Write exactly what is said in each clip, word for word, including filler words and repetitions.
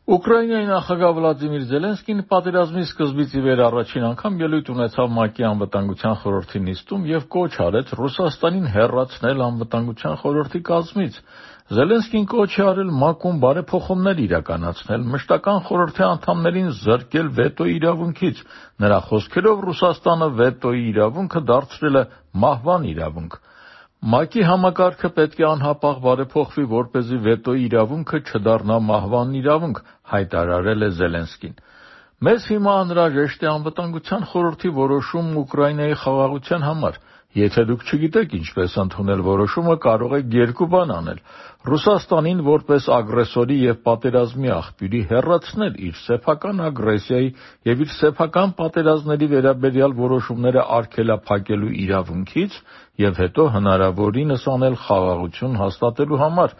Ուկրաինայի նախագահ Վլադիմիր Զելենսկին պատերազմի սկզբից ի վեր առաջին անգամ ելույթ ունեցավ ՄԱԿ-ի անվտանգության խորհրդի նիստում եւ կոչ արեց Ռուսաստանին հեռացնել անվտանգության խորհրդի կազմից։ Զելենսկին կոչ է արել ՄԱԿ-ում բարեփոխումներ իրականացնել, մշտական խորհրդի անդամներին զրկել վետոյի իրավունքից։ Նրա խոսքերով Ռուսաստանը վետոյի իրավունքը դարձրել է մահվան իրավունք։ ՄԱԿ-ի համակարգը պետք է անհապաղ բարեփոխվի, որպեսզի վետոյի իրավունքը չդառնա մահվան իրավունք, հայտարարել է Զելենսկին։ Մեզ հիմա անհրաժեշտ է անվտանգության խորհրդի որոշումն Ուկրաինայի խաղաղության համար։ Եթե դուք չգիտեք ինչպես ընդունել որոշումը, կարող եք երկու բան անել. Ռուսաստանին որպես ագրեսորի եւ պատերազմի աղբյուրի հեռացնել իր սեփական ագրեսիայի եւ իր սեփական պատերազմների վերաբերյալ որոշումները արգելափակելու իրավունքից եւ հետո հնարավորինս անել խաղաղություն հաստատելու համար,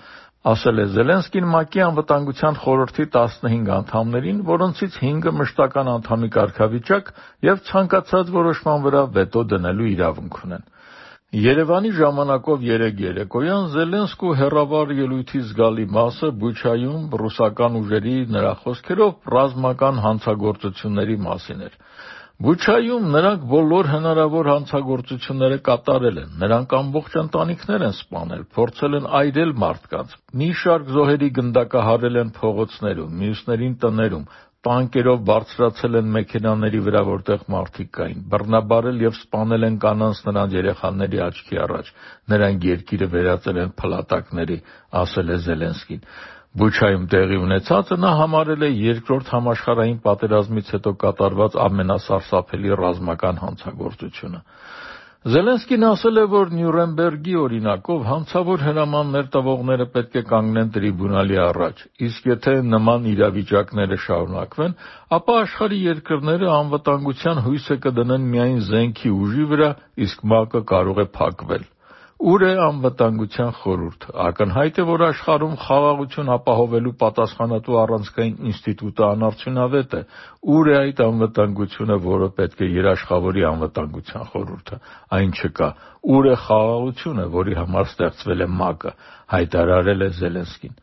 ասել է Զելենսկին ՄԱԿ-ի անվտանգության խորհրդի տասնհինգ անդամներին, որոնցից հինգը մշտական անդամի կարգավիճակ եւ ցանկացած որոշման վրա վետո դնելու իրավունք ունեն։ Երևանի ժամանակով երեկ երեկոյան Զելենսկու հեռավար ելույթի զգալի մասը Բուչայում ռուսական ուժերի նրա խոսքերով ռազմական հանցագործությունների մասին էր։ Բուչայում նրանք բոլոր հնարավոր հանցագործությունները կատարել են, նրանք ամբողջ ընտանիքներ են սպանել, փորձել են այրել մարդկանց, մի շարք զոհերի գնդակահարել են փողոցներում, մյուսներին տներում, տանկերով բարձրացել են մեքենաների վրա, որտեղ մարդիկ կային, բռնաբարել եւ սպանել են կանանց նրանց երեխաների աչքի առաջ, նրանք երկիրը վերածել են փլատակների, ասել է Զելենսկին։ Բուչայում տեղի ունեցածը նա համարել է Երկրորդ համաշխարհային պատերազմից հետո կատարված ամենասարսափելի ռազմական հանցագործությունը։ Զելենսկին ասել է, որ Նյուրնբերգի օրինակով հանցավոր հրամաններ տվողները պետք է կանգնեն տրիբունալի առաջ, իսկ եթե նման իրավիճակները շարունակվեն, ապա աշխարհի երկրները անվտանգության հույսը կդնեն միայն զենքի ուժի վրա, իսկ ՄԱԿ-ը կարող է փակվել։ Ուր է անվտանգության խորհուրդը։ Ակնհայտ է, որ աշխարհում խաղաղություն ապահովելու պատասխանատու առանցքային ինստիտուտը անարդյունավետ է։ Ուր է այդ անվտանգությունը, որը պետք է երաշխավորի անվտանգության խորհուրդը։ Այն չկա։ Ուր է խաղաղությունը, որի համար ստեղծվել է ՄԱԿ-ը, հայտարարել է Զելենսկին։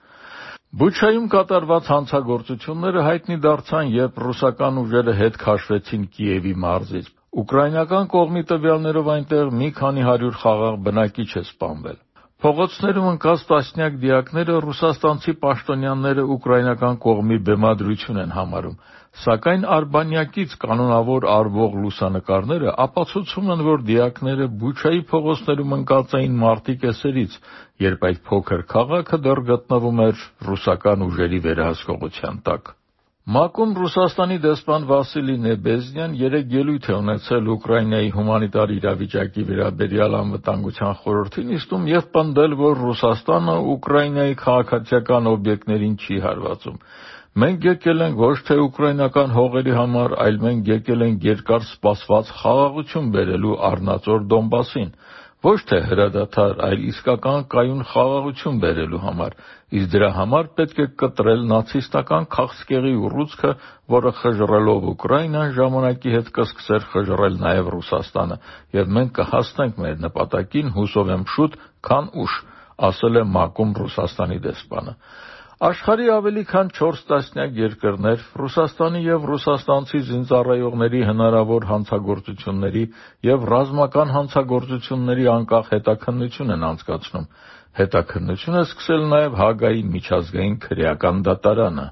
Բուչայում կատարված հանցագործությունները հայտնի դարձան, երբ ռուսական ուժերը հետ քաշվեցին Կիևի մարզից։ Ուկրաինական կողմի տվյալներով այնտեղ մի քանի հարյուր խաղաղ բնակիչ է սպանվել։ Փողոցներում ընկած տասնյակ դիակները ռուսաստանցի պաշտոնյաները ուկրաինական կողմի բեմադրություն են համարում, սակայն արբանյակից կանոնավոր արվող լուսանկարները ապացուցում են, որ դիակները Բուչայի փողոցներում ընկած էին մարտի կեսերից, երբ այդ փոքր քաղաքը դեռ գտնվում էր ռուսական ուժերի վերահսկողության տակ։ ՄԱԿ-ում Ռուսաստանի դեսպան Վասիլի Նեբեզնյան երեկ ելույթ է ունեցել Ուկրաինայի հումանիտար իրավիճակի վերաբերյալ անվտանգության խորհրդի նիստում եւ պնդել, որ Ռուսաստանը Ուկրաինայի քաղաքացիական օբյեկտներին չի հարվածում։ Մենք եկել ենք ոչ թե ուկրաինական հողերի համար, այլ մենք եկել ենք երկար սպասված խաղաղություն բերելու առնածոր Դոնբասին, ոչ թե հրադադար, այլ իսկական կայուն խաղաղություն բերելու համար, իսկ դրա համար պետք է կտրել նացիստական քաղցկեղի ուռուցքը, որը խժռելով Ուկրաինան ժամանակի հետ կսկսեր խժռել նաև Ռուսաստանը, եւ մենք կհասնենք մեր նպատակին հուսով եմ շուտ, քան ուշ, ասել է ՄԱԿ-ում Ռուսաստանի դեսպանը։ Աշխարհի ավելի քան չորս տասնյակ երկրներ Ռուսաստանի եւ ռուսաստանցի զինծառայողների հնարավոր հանցագործությունների եւ ռազմական հանցագործությունների անկախ հետաքննություն են անցկացնում։ Հետաքննությունը սկսել նաեւ Հաագայի միջազգային քրեական դատարանը։